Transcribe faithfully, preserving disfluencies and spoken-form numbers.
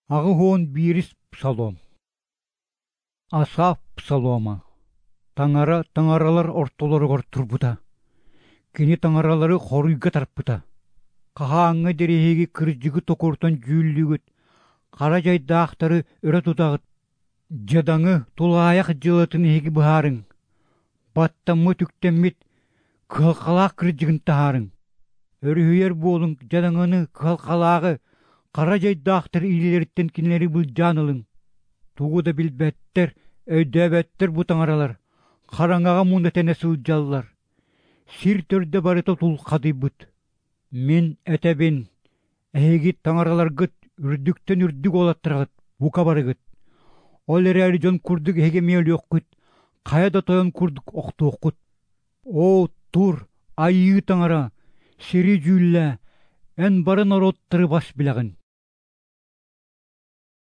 Агыон бирис псалом. Асаф псалома. Таңара таңаралар ортолоргор турбута. Кини таңаралары хоруйга тарпыта. Кахааңы дерехеги кыржыгы токуртан жүүллүгүт. Кара жайдаактары өрө тутагыт. Жадаңы тулаяк жылытын эги баарың. Баттамы түктеммит кылкалаак кыржыгын таарың. Өрүхүйөр болуң жадаңыны кылкалаагы. Кара жайдаактар ийлерттен кинери бул жанылың. Тугуда билбеттер, өйдөбеттер бу таңаралар. Караңага мунда тене сылжаллар. Сир төрдө барыта тулкадыйбыт. Мен этебин, эги таңараларгыт үрдүктөн үрдүк олаттырагыт, бука барыгыт. Ол эрери жон курдук эге мели оккут, каяда тоyon курдук окту оккут. О, тур, айыы таңара, сири жүүлле, эн барын ороттыры бас билагын.